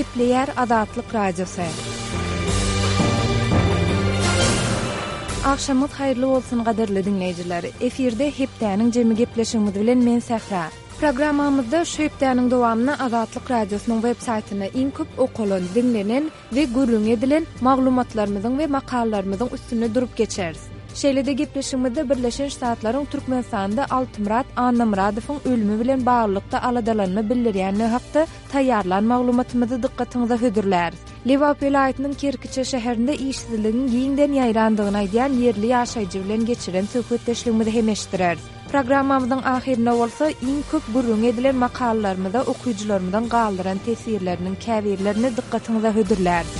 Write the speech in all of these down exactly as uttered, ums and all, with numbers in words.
Gepleýär Azatlyk Radiosy. Agşamyňyz haýyrly bolsun gadyrly diňleýjiler. Efirde hepdäniň jemi gepleşigimiz bilen men Sähra. Programmamyzda şu hepdäniň dowamynda Azatlyk Radiosynyň web saýtynda iň köp okalan, diňlenen we gürrüň edilen maglumatlarymyzyň we makalalarymyzyň üstünde durup geçeris. Şeýle-de gepleşigimizde Birleşen Ştatlaryň Türkmenistanda Altymyrat Annamyradowyň ölümi bilen baglylykda aladalanma bildirýändigi hakda taýýarlan maglumatymyzy dykgatyňyza hödürläris. Lebap welaýatynyň Kerkiçe şäherinde işsizligiň giňden ýaýrandygyny aýdýan ýerli ýaşaýjy bilen geçiren söhbetdeşligimizi hem eşitdireris. Programmamyzyň ahyrynda bolsa iň köp gürrüň edilen makalalarymyza okyjylarymyzyň galdyran teswirleriniň käbirlerini dykgatyňyza hödürläris.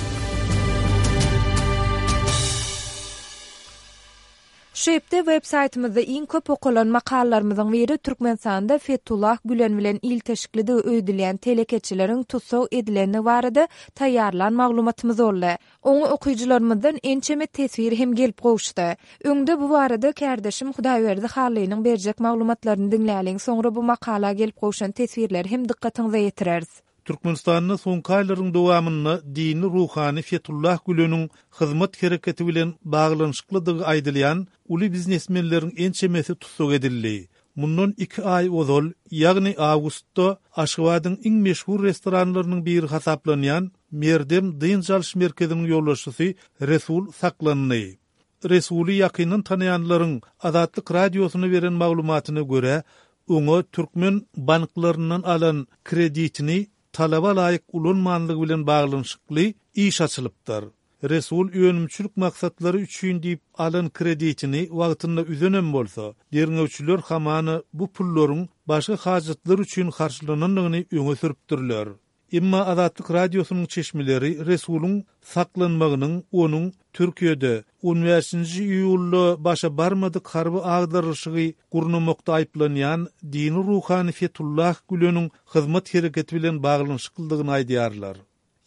Şu hepde web saýtymyzda iň köp okalan makalalarymyzyň biri Türkmenistanda Fethullah Gülen bilen ilteşiklidigi öýdülýän telekeçileriň tussag edilendigi barada taýýarlan maglumatymyz boldy. Oňa okyjylarymyzdan ençeme teswir hem gelip gowuşdy. Öňde bu barada kärdeşim Hudaýberdi Hallynyň berjek maglumatlaryny diňläliň, soňra bu makala gelip gowşan teswirleri hem dykgatyňyza ýetireris. Türkmenistanda soňky aýlaryň dowamynda dini ruhany Fethullah Güleniň hyzmat hereketi bilen baglanyşyklydygy aýdylýan uly biznesmenleriň ençemesi tussag edildi. Mundan iki aý ozal, ýagny awgustda Aşgabadyň iň meşhur restoranlarynyň biri hasaplanýan Merdem dynç alyş merkeziniň ýolbaşçysy Resul saklandy. Resuly ýakyndan tanaýanlaryň Azatlyk Radiosyna beren maglumatyna görä, oňa türkmen banklaryndan alan kreditini talaba laýyk ulanmanlygy bilen baglanyşykly iş açylypdyr. Resul önümçilik maksatlary üçin diýip alan kreditini wagtynda üzenem bolsa, derňewçiler hamana bu pullaryň başga hajatlar üçin harçlanandygyny öňe sürüpdirler. Emma Azatlyk Radiosynyň çeşmeleri Resulyň saklanmagynyň onuň Türkiýede on bäşinji iýulda başa barmadyk harby agdarylyşygy gurnamakda aýyplanýan dini ruhany Fethullah Güleniň hyzmat hereketi bilen baglanyşyklydygyny aýdýarlar.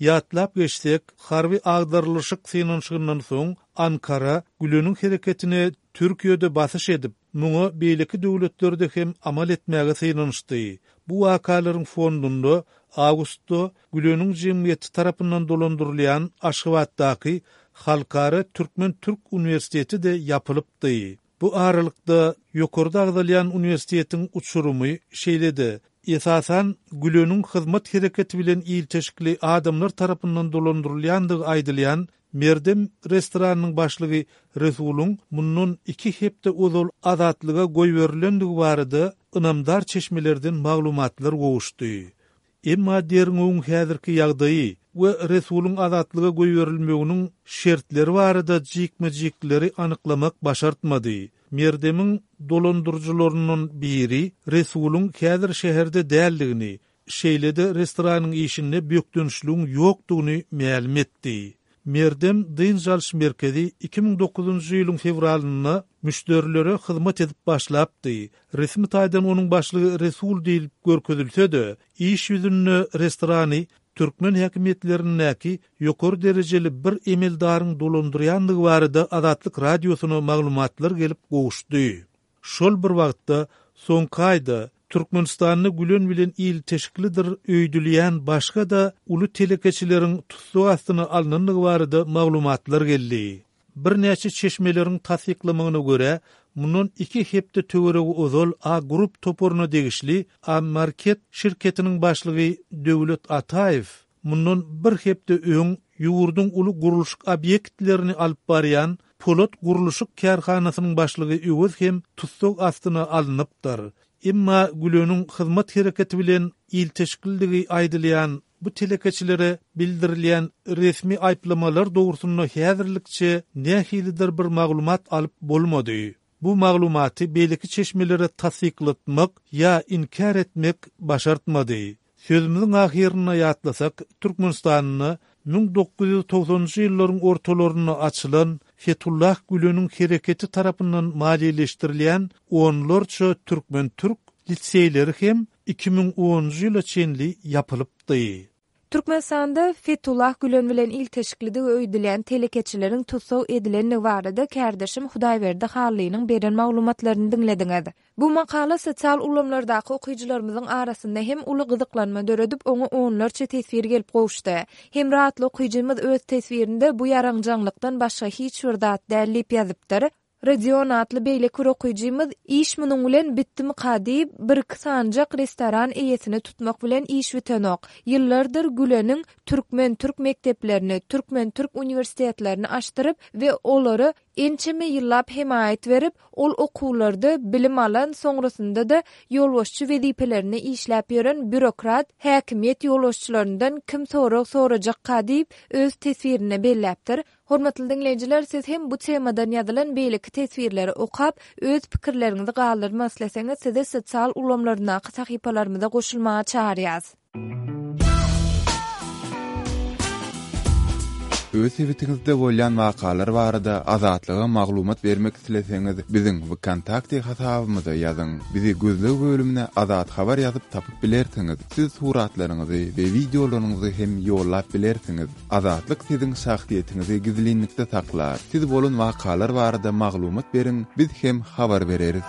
Ýatlap geçsek, harby agdarylyşyk synanyşygyndan soň Ankara Güleniň hereketine Türkiýede basyş edip, muňa beýleki döwletlerde hem amal etmäge synanyşdy. Bu wakalaryň fondunda awgustda Güleniň jemgyýeti tarapyndan dolandyrylýan Aşgabatdaky Halkara Türkmen-Türk uniwersiteti-de ýapylypdy. Bu aralykda ýokarda agzalýan uniwersitetiň uçurymy şeýle-de, esasan Güleniň hyzmat hereketi bilen ilteşikli adamlar tarapyndan dolandyrylýandygy aýdylýan Merdem restoranynyň başlygy Resulyň mundan iki hepde ozal azatlyga goýberilendigi barada ynamdar çeşmelerden maglumatlar gowuşdy. Emma derňewiň häzirki ýagdaýy we Resulyň azatlyga goýberilmeginiň şertleri barada jikme-jikleri anyklamak başartmady. Merdemiň dolandyryjylaryndan biri Resulyň häzir şäherde däldigini, şeýle-de restoranyň işinde bökdençligiň ýokdugyny mälim etdi. Merdem dynç alyş merkezi iki müň dokuzynjy ýylyň fewralynda müşderilere hyzmat edip başlapdy. Resmi taýdan onuň başlygy Resul diýlip görkezilse-de, iş ýüzünde restorany türkmen häkimiýetlerindäki ýokary derejeli bir emeldaryň dolandyrýandygy barada Azatlyk Radiosyna maglumatlar gelip gowuşdy. Şol bir wagtda soňky aýda Türkmenistanda Gülen bilen ilteşiklidir öýdülýän başga-da uly telekeçileriň tussag astyna alnandygy barada maglumatlar geldi. Birnäçe çeşmeleriň tassyklamagyna görä, mundan iki hepde töweregi ozal A Group toparyna degişli A Market şirketiniň başlygy Döwlet Ataýew mundan bir hepde öň ýurduň uly gurluşyk obýektlerini alyp barýan Polat gurluşyk kärhanasynyň başlygy Öwez hem tussag astyna alnypdyr. Emma Güleniň hyzmat hereketi bilen ilteşiklidigi aýdylýan bu telekeçilere bildirilýän resmi aýyplamalar dogrusynda häzirlikçe nähilidir bir maglumat alyp bolmady. Bu maglumaty beýleki çeşmelere tassyklatmak ýa inkär etmek başartmady. Sözümiziň ahyrynda ýatlasak, Türkmenistanda müň dokuz ýüz togsanynjy ýyllaryň ortalarynda açylan Fethullah Güleniň hereketi tarapyndan maliýeleşdirilýän onlarça türkmen-türk liseýleri hem iki müň onunjy ýyla çenli ýapylypdy. Türkmenistanda Fetullah Gülen bilen ilteşiklidigi öýdülýän telekeçileriň tussag edilendigi barada kärdeşim Hudaýberdi Hallynyň beren maglumatlaryny diňlediňiz. Bu makala sosial ulgamlardaky okyjylarymyzyň arasynda hem uly gyzyklanma döredip, oňa onlarça teswir gelip gowuşdy. Hemra atly okyjymyz öz teswirinde bu ýaraňjaňlykdan başga hiç bir zat däl diýip ýazypdyr. Rodion atly beýleki bir okyjymyz iş munuň bilen bitdimika diýip, bir-iki sanyjak restoran eýesini tutmak bilen iş bitenok. Ýyllardyr Güleniň türkmen-türk mekdeplerini, türkmen-türk uniwersitetlerini açdyryp we olara ençeme ýyllap hemaýat berip, ol okuwlarda bilim alan, soňrasynda-da ýolbaşçy wezipelerinde işläp ýören býurokrat häkimiýet ýolbaşçylaryndan kim sorag sorajakka diýip, öz teswirinde belläpdir. Hormatly diňleýjiler, siz hem bu temadan ýazylan beýleki teswirleri okap, öz pikirleriňizi galdyrmak isleseňiz, sizi sosial ulgamlaryndaky sahypalarymyza goşulmaga çagyrýarys. Öz sebitiňizde bolýan wakalar barada Azatlyga maglumat bermek isleseňiz, biziň VKontakte hasabymyza ýazyň. Bizi gözleg bölümine Azat Habar ýazyp tapyp bilersiňiz. Siz suratlaryňyzy we wideolaryňyzy hem ýollap bilersiňiz. Azatlyk siziň şahsyýetiňizi gizlinlikde saklar. Siz bolan wakalar barada maglumat beriň, biz hem habar bereris.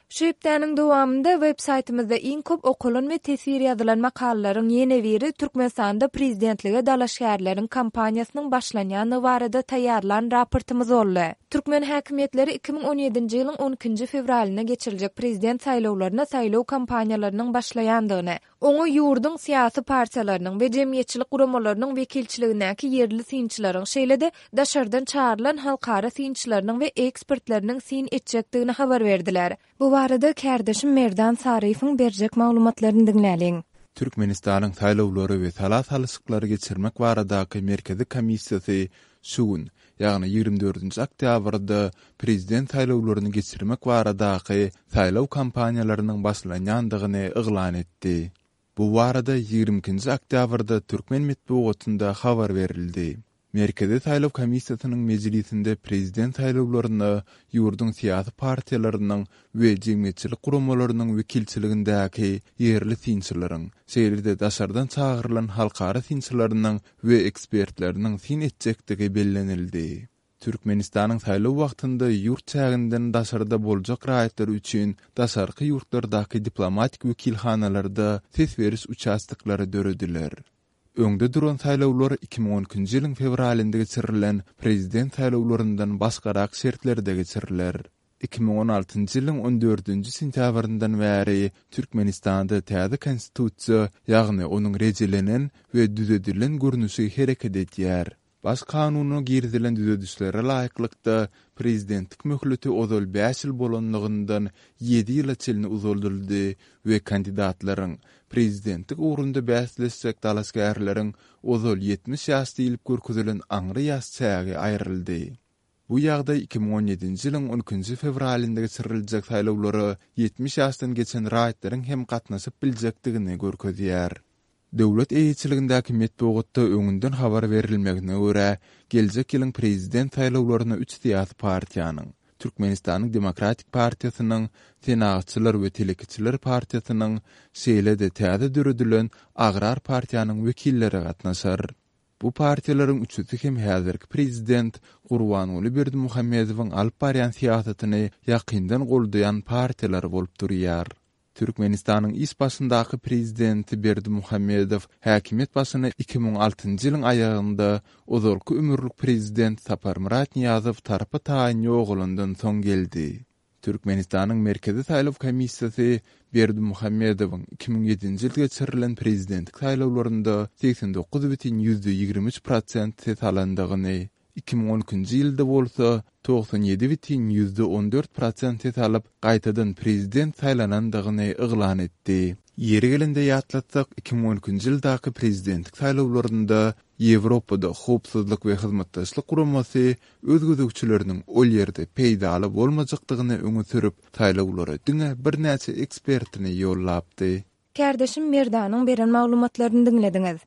Şu hepdäniň dowamynda web saýtymyzda iň köp okalan we teswir ýazylan makalalaryň ýene biri Türkmenistanda prezidentlige dalaşgärleriň kampaniýasynyň başlanýandygy barada taýýarlan raportymyz boldy. Türkmen häkimiýetleri iki müň on ýedinji ýylyň on ikinji fewralynda geçiriljek prezident saýlawlaryna saýlaw kampaniýalarynyň başlaýandygyny, oňa ýurduň syýasy partiýalarynyň we jemgyýetçilik guramalarynyň wekilçiligindäki ýerli synçylaryň, şeýle-de daşardan çagyrylan halkara synçylarynyň we ekspertleriniň syn etjekdigini habar berdiler. Bu barada kärdeşim Merdan Saryýewiň berjek maglumatlaryny diňläliň. Türkmenistanyň saýlawlary we sala salyşyklary geçirmek baradaky Merkezi komissiýasy şu gün, ýagny ýigrimi dördünji oktýabrda prezident saýlawlaryny geçirmek baradaky saýlaw kampaniýalarynyň başlanýandygyny yglan etdi. Bu barada ýigrimi ikinji oktýabrda türkmen metbugatynda habar berildi. Merkezi saýlaw komissiýasynyň mejlisinde prezident saýlawlaryna ýurduň syýasy partiýalarynyň we jemgyýetçilik guramalarynyň wekilçiligindäki ýerli synçylaryň, şeýle-de daşardan çagyrylan halkara synçylarynyň we ekspertleriniň syn etjekdigi bellenildi. Türkmenistanyň saýlaw wagtynda ýurt çäginden daşarda boljak raýatlar üçin daşarky ýurtlardaky diplomatik wekilhanalarda ses beriş uçastoklary dörediler. Öňde duran saýlawlar iki müň on ikinji ýylyň fewralynda geçirilen prezident saýlawlaryndan başgarak şertlerde geçiriler. Iki müň on altynjy ýylyň on dördünji sentýabryndan bäri Türkmenistanda täze konstitusiýa, ýagny onuň rejelenen we düzedilen görnüşi hereket edýär. Baş kanuna girizilen düzedişlere laýyklykda prezidentlik möhleti ozal bäş ýyl bolanlygyndan ýedi ýyla çenli uzaldyldy we kandidatlaryň prezidentlik ugrunda bäsleşjek dalaşgärleriň ozal ýetmiş ýaş diýlip görkezilen aňry ýaş çägi aýryldy. Bu ýagdaý iki müň on ýedinji ýylyň on ikinji fewralynda geçiriljek saýlawlara ýetmiş ýaşdan geçen raýatlaryň hem gatnaşyp biljekdigini görkezýär. Döwlet eýeçiligindäki metbugatda öňünden habar berilmegine görä, geljek ýylyň prezident saýlawlaryna üç syýasy partiýanyň, Türkmenistanyň Demokratik partiýasynyň, Senagatçylar we Telekeçiler partiýasynyň, şeýle-de täze döredilen Agrar partiýanyň wekilleri gatnaşar. Bu partiýalaryň üçüsi hem häzirki prezident Gurbanguly Berdimuhamedowyň alyp barýan syýasatyny ýakyndan goldaýan partiýalar bolup durýar. Türkmenistanyň iş başyndaky prezidenti Berdimuhamedow häkimiýet başyna iki müň altynjy ýylyň aýagynda ozalky ömürlik prezident Saparmyrat Nyýazow tarpa taýyn ýogalandan soň geldi. Türkmenistanyň Merkezi saýlaw komissiýasy Berdimuhamedowyň iki müň ýedinji ýylda geçirilen prezidentlik saýlawlarynda segsen dokuz bütin ýüzde ýigrimi üç prosent ses alandygyny, iki müň on ikinji ýylda bolsa togsan ýedi bütin ýüzde on dört prosent ses alyp, gaýtadan prezident saýlanandygyny yglan etdi. Ýeri gelende ýatlatsak, iki müň on ikinji ýyldaky prezidentlik saýlawlarynda Ýewropada howpsuzlyk we hyzmatdaşlyk guramasy öz gözegçileriniň ol ýerde peýdaly bolmajakdygyny öňe sürüp, saýlawlara diňe birnäçe ekspertini ýollapdy. Kärdeşim Merdanyň beren maglumatlaryny diňlediňiz.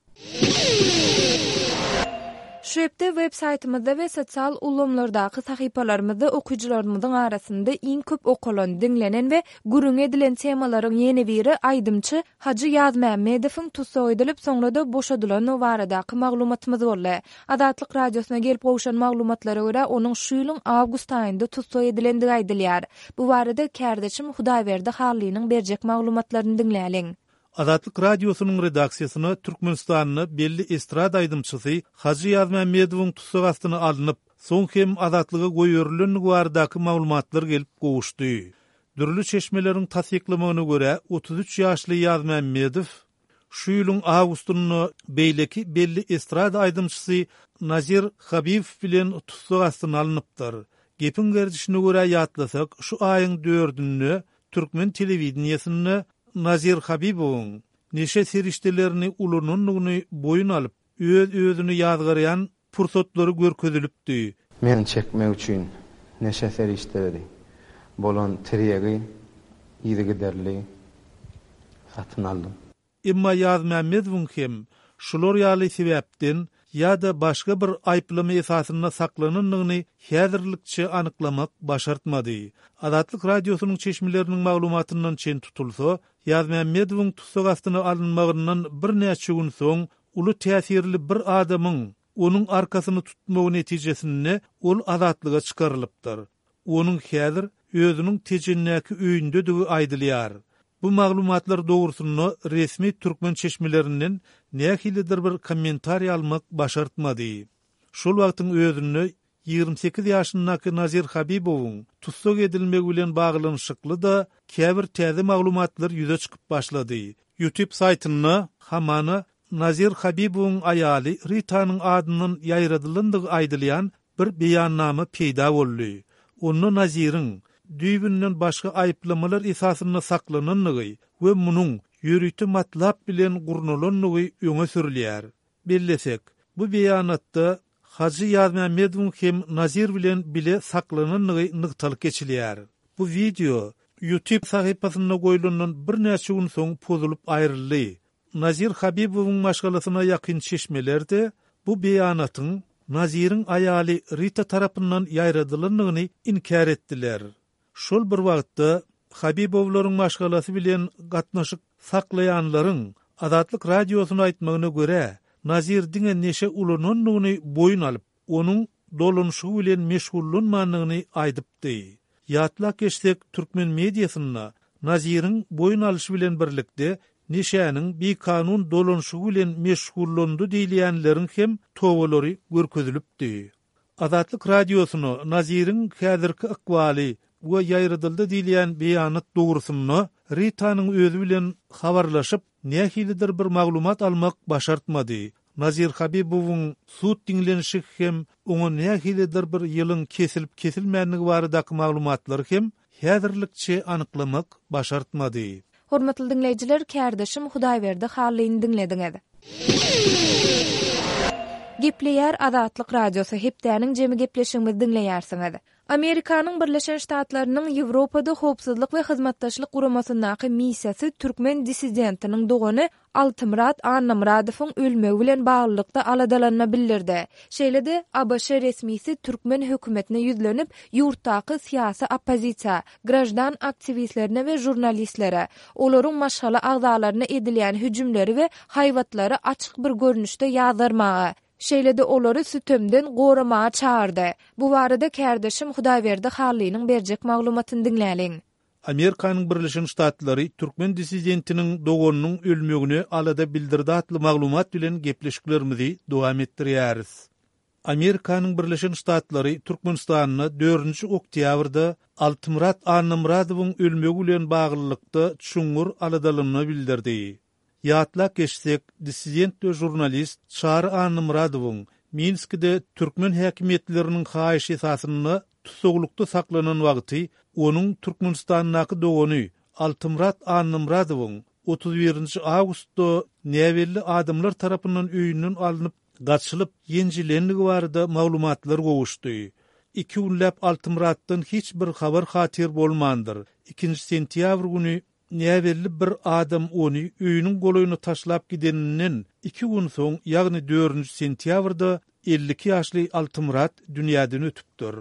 Şu hepde web saýtymyzda we sosial ulgamlardaky sahypalarymyzda okyjylarymyzyň arasynda iň köp okalan, diňlenen we gürrüň edilen temalaryň ýene biri aýdymçy Hajy Ýazmämmedowyň tussag edilip, soňra-da boşadylandygy baradaky maglumatymyz boldy. Azatlyk Radiosyna gelip gowşan maglumatlara görä, onuň şu ýylyň awgust aýynda tussag edilendigi aýdylýar. Bu barada kärdeşim Hudaýberdi Hallynyň berjek maglumatlaryny diňläliň. Azatlyk Radiosynyň redaksiýasyna Türkmenistanda belli estrada aýdymçysy Hajy Ýazmämmedowyň tussag astyna alnyp, soň hem azatlyga goýberilendigi baradaky maglumatlar gelip gowuşdy. Dürli çeşmeleriň tassyklamagyna görä, otuz üç ýaşly Ýazmämmedow şu ýylyň awgustynda beýleki belli estrada aýdymçysy Nazir Habibow bilen tussag astyna alnypdyr. Gepiň gerdişine görä ýatlasak, şu aýyň dördünde türkmen telewideniýesinde Nazir Habibowyň neşe serişdelerini ulanandygyny boýun alyp, öz-özüni ýazgarýan pursatlary görkezilipdi. Men çekmek üçin neşe serişdeleri bolan tirýegi yzygiderli satyn aldym. Emma Ýazmämmedowyň hem şular ýaly sebäpden ýa-da başga bir aýyplama esasynda saklanandygyny häzirlikçe anyklamak başartmady. Azatlyk Radiosynyň çeşmeleriniň maglumatyndan çen tutulsa, Ýazmämmedowyň tussag astyna alynmagyndan birnäçe gün soň uly täsirli bir adamyň onuň arkasyny tutmagy netijesinde ol azatlyga çykarylypdyr. Onuň häzir özüniň Tejendäki öýündedigi aýdylýar. Bu maglumatlar dogrusynda resmi türkmen çeşmelerinden nähilidir bir kommentariý almak başartmady. Şol wagtyň özünde ýigrimi sekiz ýaşyndaky Nazir Habibowyň tussag edilmegi bilen baglanyşykly-da käbir täze maglumatlar ýüze çykyp başlady. YouTube saýtynda hamana Nazir Habibowyň aýaly Ritanyň adyndan ýaýradylandygy aýdylýan bir beýannama peýda boldy. Onda Naziriň düýbünden başga aýyplamalar esasynda saklanandygy we munuň ýörite matlap bilen gurnalandygy öňe sürülýär. Bellesek, bu beýanatda Hajy Ýazmämmedowyň hem Nazir bilen bile saklanandygy nygtalyp geçilýär. Bu wideo YouTube sahypasynda goýlandan birnäçe gün soň pozulyp aýryldy. Nazir Habibowyň maşgalasyna ýakyn çeşmeler-de bu beýanatyň Naziriň aýaly Rita tarapyndan ýaýradylandygyny inkär etdiler. Şol bir wagtda Habibowlaryň maşgalasy bilen gatnaşyk saklaýanlaryň Azatlyk Radiosyna aýtmagyna görä, Nazir diňe neşe ulanandygyny boýun alyp, onuň dolanyşygy bilen meşgullanmandygyny aýdypdy. Ýatlap geçsek, türkmen mediasynda Naziriň boýun alyşy bilen birlikde neşäniň bikanun dolanyşygy bilen meşgullandy diýilýänleriň hem tobalary görkezilipdi. Azatlyk Radiosyna Naziriň häzirki ykbaly we ýaýradyldy diýilýän beýanat dogrusynda Ritanyň özi bilen habarlaşyp, nähilidir bir maglumat almak başartmady. Nazir Habibowyň sud diňlenişi hem oňa nähilidir bir ýylyň kesilip-kesilmändigi baradaky maglumatlary hem häzirlikçe anyklamak başartmady. Hormatly diňleýjiler, kärdeşim Hudaýberdi Hallyny diňlediňiz. Gepleýär Azatlyk Radiosy, hepdäniň jemi gepleşigimizi diňleýärsiňiz. Amerikanyň Birleşen Ştatlarynyň Ýewropada Howpsuzlyk we Hyzmatdaşlyk Guramasyndaky missiýasy türkmen dissidentiniň dogany Altymyrat Annamyradowyň ölmegi bilen baglylykda aladalanma bildirdi. Şeýle-de, A B Ş resmisi türkmen hökümetine ýüzlenip, ýurtdaky syýasy oppozisiýa, graždan aktiwistlerine we žurnalistlere, olaryň maşgala agzalaryna edilýän hüjümleri we haýbatlary açyk bir görnüşde ýazgarmaga, şeýle-de olary sütemden goramaga çagyrdy. Bu barada kärdeşim Hudaýberdi Hallynyň berjek maglumatyny diňläliň. Amerikanyň Birleşen Ştatlary türkmen dissidentiniň doganynyň ölmegine alada bildirdi atly maglumat bilen gepleşiklerimizi dowam etdirýäris. Amerikanyň Birleşen Ştatlary Türkmenistanda dördünji oktýabrda Altymyrat Annamyradowyň ölmegi bilen baglylykda çuňňur aladalanma bildirdi. Ýatlap geçsek, dissident we žurnalist Çary Annamyradowyň Minskide türkmen häkimiýetleriniň haýyşy esasynda tussaglykda saklanan wagty onuň Türkmenistandaky dogany Altymyrat Annamyradowyň otuz birinji awgustda näbelli adamlar tarapyndan öýünden alnyp gaçylyp ýenjilendigi barada maglumatlar gowuşdy. Iki günläp Altymyratdan hiç bir habar hatyr bolmandyr. Ikinji sentýabr güni näbelli bir adam ony öýüniň golaýyna taşlap gideninden iki gün soň, ýagny dördünji sentýabrda elli iki ýaşly Altymyrat dünýäden ötüpdir.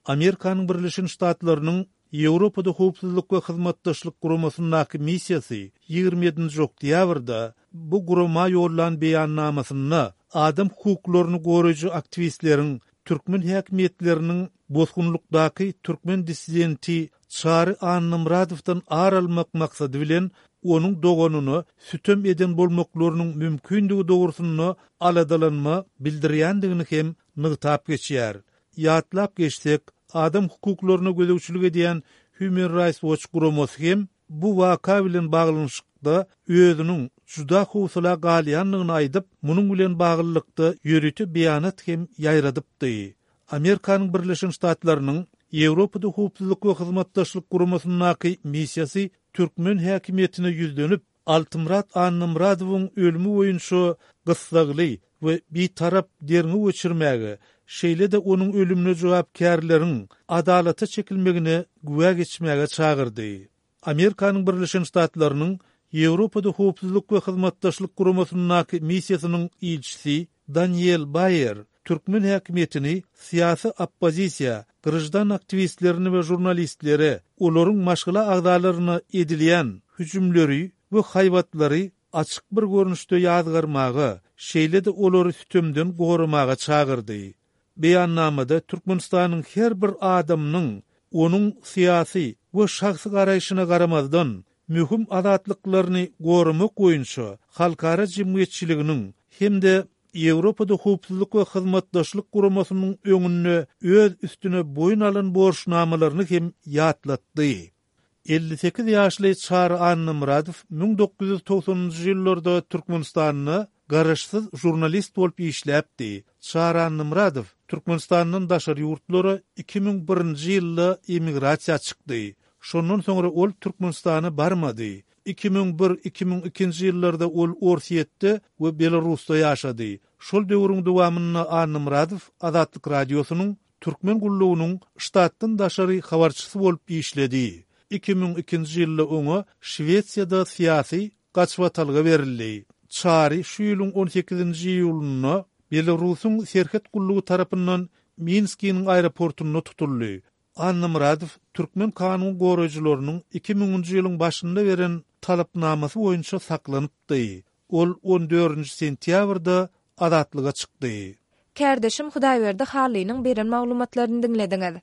Amerikanyň Birleşen Ştatlarynyň Ýewropada Howpsuzlyk we Hyzmatdaşlyk Guramasyndaky missiýasy ýigrimi ýedinji oktýabrda bu gurama ýollan beýannamasynda adam hukuklaryny goraýjy aktiwistleriň türkmen häkimiýetleriniň bosgunlykdaky türkmen dissidenti Çary Annamyradowdan ar almak maksady bilen onuň doganyna sütem eden bolmaklarynyň mümkindigi dogrusynda aladalanma bildirýändigini hem nygtap geçýär. Ýatlap geçsek, adam hukuklaryna gözegçilik edýän Human Rights Watch guramasy hem bu waka bilen baglanyşykda özüniň juda howsala galýandygyny aýdyp, munuň bilen baglylykda ýörite beýanat hem ýaýradypdy. Amerikanyň Birleşen Ştatlarynyň Ýewropada Howpsuzlyk we Hyzmatdaşlyk Guramasyndaky missiýasy türkmen häkimiýetine ýüzlenip, Altymyrat Annamyradowyň ölümi boýunça gyssagly we bitarap derňew geçirmäge, şeýle-de onuň ölümine jogapkärleriň adalata çekilmegine güwä geçmäge çagyrdy. Amerikanyň Birleşen Ştatlarynyň Ýewropada Howpsuzlyk we Hyzmatdaşlyk Guramasyndaky missiýasynyň ilçisi Daniel Baýer türkmen häkimiýetini syýasy oppozisiýa, graždan aktiwistlerini we žurnalistlere, olaryň maşgala agzalaryna edilýän hüjümleri we haýbatlary açyk bir görnüşde ýazgarmaga, şeýle-de olary sütemden goramaga çagyrdy. Beýannamada Türkmenistanyň her bir adamynyň onuň syýasy we şahsy garaýşyna garamazdan möhüm azatlyklaryny goramak boýunça halkara jemgyýetçiliginiň hem-de Ýewropada Howpsuzlyk we Hyzmatdaşlyk Guramasynyň öňünde öz üstüne boýun alan borçnamalaryny hem ýatlatdy. Elli sekiz ýaşly Çary Annamyradow müň dokuz ýüz togsanynjy ýyllarda Türkmenistanda garaşsyz žurnalist bolup işläpdi. Çary Annamyradow Türkmenistandan daşary ýurtlara iki müň birinji ýylda emigrasiýa çykdy. Şondan soňra ol Türkmenistana barmady. Iki müň bir, iki müň ikinji ýyllarda ol Orsýetde we Belarusda ýaşady. Şol döwrüň dowamynda Annamyradow Azatlyk Radiosynyň Türkmen gullugynyň ştatdan daşary habarçysy bolup işledi. Iki müň ikinji ýylda oňa Şwesiýada syýasy gaçybatalga berildi. Çary şu ýylyň on sekizinji iýulynda Belarusyň serhet gullugy tarapyndan Minskiniň aeroportunda tutuldy. Annamyradow türkmen kanun goraýjylarynyň iki müňünji ýylyň başynda beren talapnamasy boýunça saklanypdy. Ol on dördünji sentýabrda azatlyga çykdy. Kärdeşim Hudaýberdi Hallynyň beren maglumatlaryny diňlediňiz.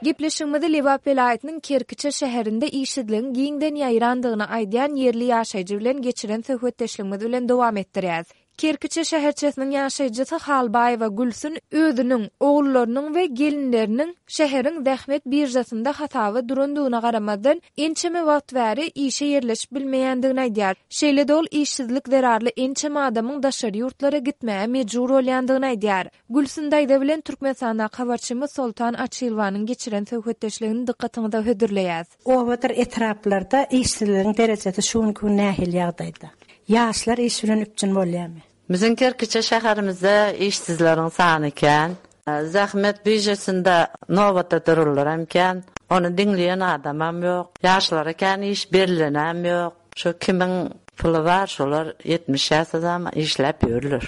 Gepleşigimizi Lebap welaýatynyň Kerkiçe şäherinde işsizligiň giňden ýaýrandygyny aýdýan ýerli ýaşaýjy bilen geçiren söhbetdeşligimiz bilen dowam etdirýäs. Kerkiçe şäherçesiniň ýaşaýjysy Halbaýewa Gülsün özüniň, ogullarynyň we gelinleriniň şäheriň zähmet biržasynda hasaba durandygyna garamazdan, ençeme wagt bäri işe ýerleşip bilmeýändigini aýdýar. Şeýle-de ol işsizlik zerarly ençeme adamyň daşary ýurtlara gitmäge mejbur bolýandygyny aýdýar. Gülsün daýza bilen Türkmenistandaky habarçymyz Soltan Açylwanyň geçiren söhbetdeşligini dykgatyňyza hödürleýäs. Obadyr etraplarda işsizligiň derejesi şu günki gün nähili ýagdaýda? Ýaşlar iş bilen üpjün bolýarmy? Bizim Kerkiçe şäherimizde işsizleriň sany kän. Zähmet biržasynda nobata dururlar hem kän. Ony diňleýän adamam ýok. Ýaşlara kän iş berilenem ýok. Şu kimin puly bar, şolar ýetmiş ýaşadam işläp ýörler.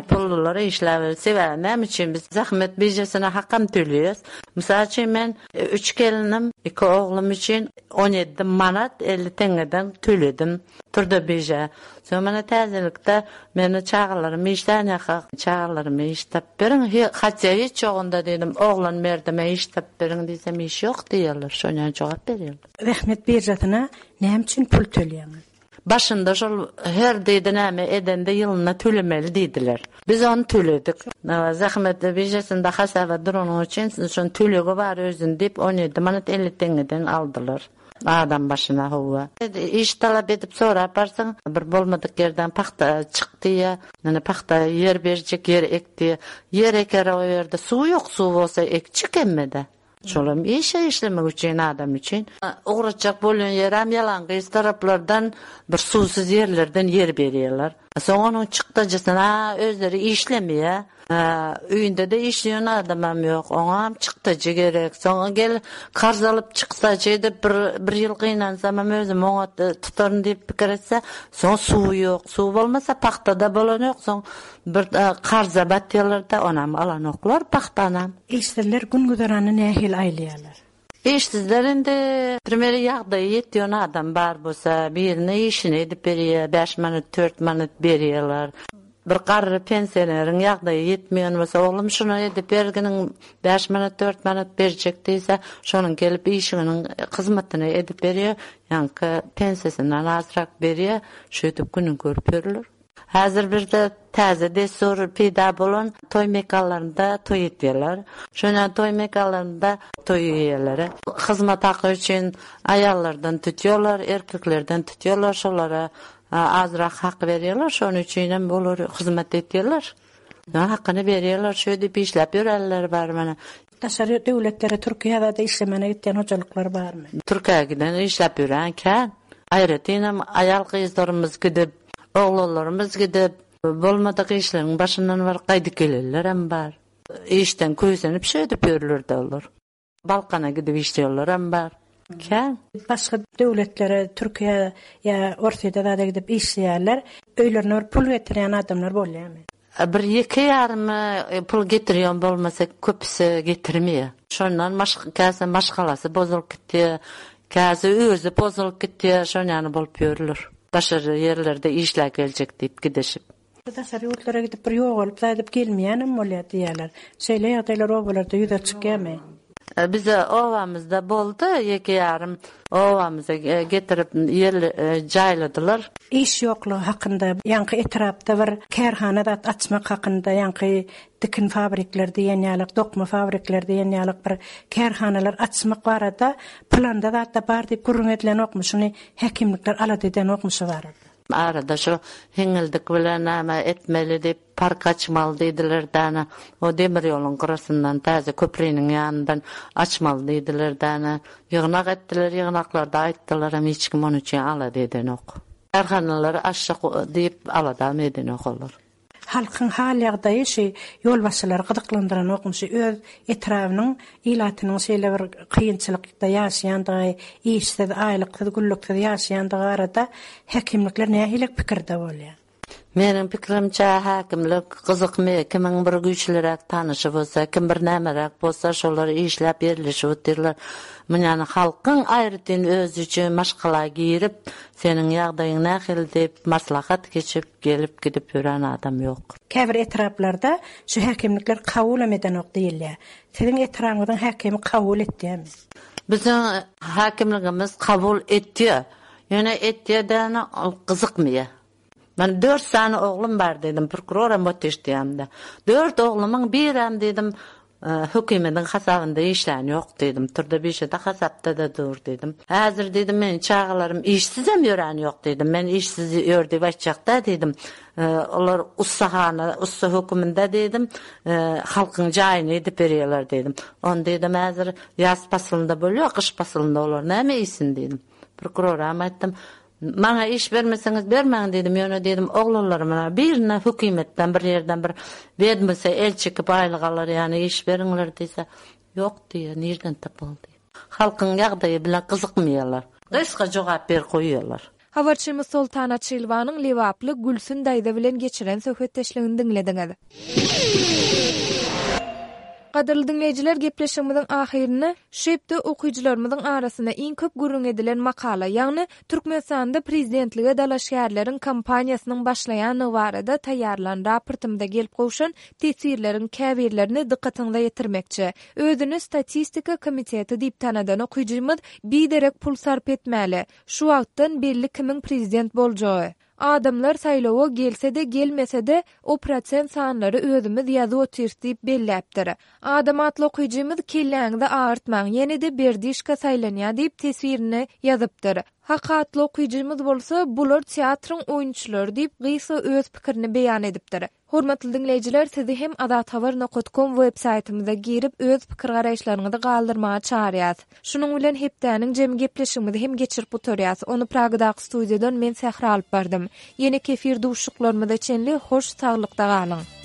Pullular işläp ýör. Sebäbi näme üçin biz zähmet biržasyna hakam töleýäs? Mysal üçin men üç gelinim, iki oglum üçin on ýedi manat elli teňňeden töledim. Turda birja. Soň mene täzelikde meni çagalarym işlän ýaka, çagalarymy iş tap beriň, hatda hiç ýogunda diýdim, oglan berdime iş tap beriň diýsem iş ýok diýerler. Şondan jogap berýärler. Zähmet birjasyna näme üçin pul töleýäňiz? Başynda şol her diýdi näme edende ýylynda tölemeli diýdiler. Biz ony töledik. Zähmet birjasynda hasaba duranyň üçin şon tölegi bar özün diýip on ýedi manat elli teňňeden aldylar. Adam başyna howa. Iş talap edip sorap barsaň, bir bolmadyk ýerden pagta çykdy ýa, ýani pagta ýer berjek ýer ekdi. Ýer eker o ýerde suw ýok, suw bolsa ekçik emmede. Şolam işe işlemek üçin adam üçin. Uğraçak bolýan ýerem ýalan gyz taraplardan bir suwsuz ýerlerden ýer berýärler. Soň onuň çykdajysyna özleri işlemeýär. Öýünde-de işleýän adamam ýok. Oňam çykdajy gerek. Soň gel karz alyp çykdajy edip bir bir ýyl gynansamam özüm oňat tutaryn diýip pikir etse, soň suw ýok. Suw bolmasa pagta-da bolanok. Soň bir karza batýarlar-da, onam alanoklar pagtanam. Işsizler gün-güzeranyny nähili aýlaýarlar? Işsizler indi primeri ýagdaýy ýetýän adam bar bolsa, birine işini edip berýär, bäş manat, dört manat berýärler. Bir garry pensioneriň ýagdaýy ýetmeýän bolsa, oglum şuny edip berginiň bäş manat, dört manat berjek diýse, şonuň gelip işiginiň hyzmatyny edip berýär, ýaňky pensiýasyndan azrak berýär, şeýdip gününi görüp ýörler. Häzir birde täze dessur peýda bolan toý mekanlarynda toý etýärler. Şonda toý mekanlarynda toý eýeleri hyzmat haky üçin aýallardan tutýarlar, erkeklerden tutýarlar, şolara azrak hak berýärler, şonuň üçin hem olar hyzmat etýärler. Hakyny berýärler, şeýdip işläp ýörärler bar mana. Daşary döwletlere Türkiýede işlemene gitýän hojalyklar barmy? Türkiýä giden işläp ýören kän. Aýratyn aýal gyzlarymyz gidip, oglanlarymyz gidip, bolmadyk işleriň başyndan baryp gaýdyp gelenler hem bar. Işden köýsenip şeýdip ýörler olar. Balkana gidip işleýärler hem bar. Kän. Başga döwletlere Türkiýe ýa Orsýete zada gidip işleýärler. Öýlerine bir pul getirýän adamlar bolýarmy? Bir ýeke ýarym pul getirýän bolmasa köpüsi getirmeýär. Şondan başga käse maşgalasy bozulyp gitýär, käse özi bozulyp gitýär, şonýany bolup ýörler. Daşary ýerlerde işläp geljek diýip gidişip. Daşary ýurtlara gidip bir ýogalyp zaýdyp gelmeýänem bolýar diýýärler. Şeýle ýagdaýlar obalarda ýüze çykýarmy? Bize obamyzda boldy, ýeke ýarym obamyza getirip ýer jaýladylar. Iş ýoklugy hakynda, ýaňky etrapda bir kärhana zat açmak hakynda, ýaňky dikin fabrikler diýen ýalyk, dokma fabrikler diýen ýalyk bir kärhanalar açmak barada planda zatda bar diýip gürrüň edilenokmy? Şuny häkimlikler alada edenokmy şu barada? Arada şu hiňildik bilen näme etmeli diýip park açmaly diýdiler däne. O demir ýoluň gyrasyndan täze köprüniň ýanyndan açmaly diýdiler däne. Ýygnak etdiler, ýygnaklarda aýtdylar hem hiç kim onuň üçin alada edenok. Kärhanalary açjak diýip aladam edenok olar. Halkyň hal ýagdaýy şu ýolbaşçylary gyzyklandyranokmy? Şu öz etrabynyň ilatynyň şeýle bir kynçylykda ýaşaýandygy, işsiz, aýlyksyz, güllüksiz ýaşaýandygy barada häkimlikler nähili pikirde bolýar? Meniň pikirimçe häkimlik gyzykmy, kimiň bir güýçliräk tanyşy bolsa, kim bir nämeräk bolsa, şolar işläp ýerleşip otyrlar. Munýany halkyň aýratyn özi üçin maşgala girip, seniň ýagdaýyň nähili diýip maslahat geçip, gelip gidip ýören adam ýok. Käbir etraplarda şu häkimlikler kabul hem edenok diýilýär. Siziň etrabyňyzyň häkimi kabul etýärmi? Biziň häkimligimiz kabul etýär. Ýöne etýär-de gyzykmaýar. Men dört sany oglum bar dedim, prokuroram otyşdýamda. Dört oglumyň birem dedim, hökümetiň hasabynda işlän ýok dedim. Turda bir şeyde hasapda da dur dedim. Häzir dedim men çagalarym işsizem ýören ýok dedim. Men işsiz ýör diýip aýtjakda dedim. Olar ussahana, ussa höküminde dedim, halkyň jaýyny edip berýärler dedim. On dedim häzir ýaz paslynda bolýar, gyş paslynda olar näme iýsin dedim. Prokuroram aýtdym. Maňa iş bermeseňiz bermäň dedim. Ýöne dedim oglanlaryma birine hökümetden bir ýerden bir bermese el çekip aýlyk alar ýani iş beriňler diýse, ýok diýýär, nirden tapaly diýýär. Halkyň ýagdaýy bilen gyzykmaýarlar. Gysga jogap ber goýýarlar. Habarçymyz Soltan Açylwanyň Lebaply Gülsün daýza bilen geçiren söhbetdeşligini diňlediňiz. Gadyrly diňleýjiler, gepleşigimiziň ahyryny şu hepde okyjylarymyzyň arasynda iň köp gürrüň edilen makala, ýagny Türkmenistanda prezidentlige dalaşgärleriň kampaniýasynyň başlaýanlygy barada taýýarlan raportymyza gelip gowşan teswirleriň käbirlerini dykgatyňyza ýetirmekçi. Özüni statistika komiteti diýip tanadan okyjymyz biderek pul sarp etmäli. Şu wagtdan belli kimiň prezident boljagy. Adamlar saýlawa gelse-de gelmese-de o prosent sanlary özümiz ýazyp otyrys diýip belläpdir. Adam atly okyjymyz kelläňizi agyrtmaň, ýene-de berdişka saýlanýar diýip teswirini ýazypdyr. Haky atly okyjymyz bolsa, Bular teatryň oýunçylary diýip, gysga öz pikirini beýan edipdir. Hormatly diňleýjiler, sizi hem azathabar nokat kom web saýtymyza girip, öz pikir-garaýyşlaryňyzy galdyrmaga çagyrýas. Şunuň bilen hepdäniň jemi gepleşigimizi hem geçirip gutarýas. Ony Pragadaky studiýadan men Sähra alyp bardym. Ýene kefir duşuşyklarymyza çenli hoş saglykda galyň.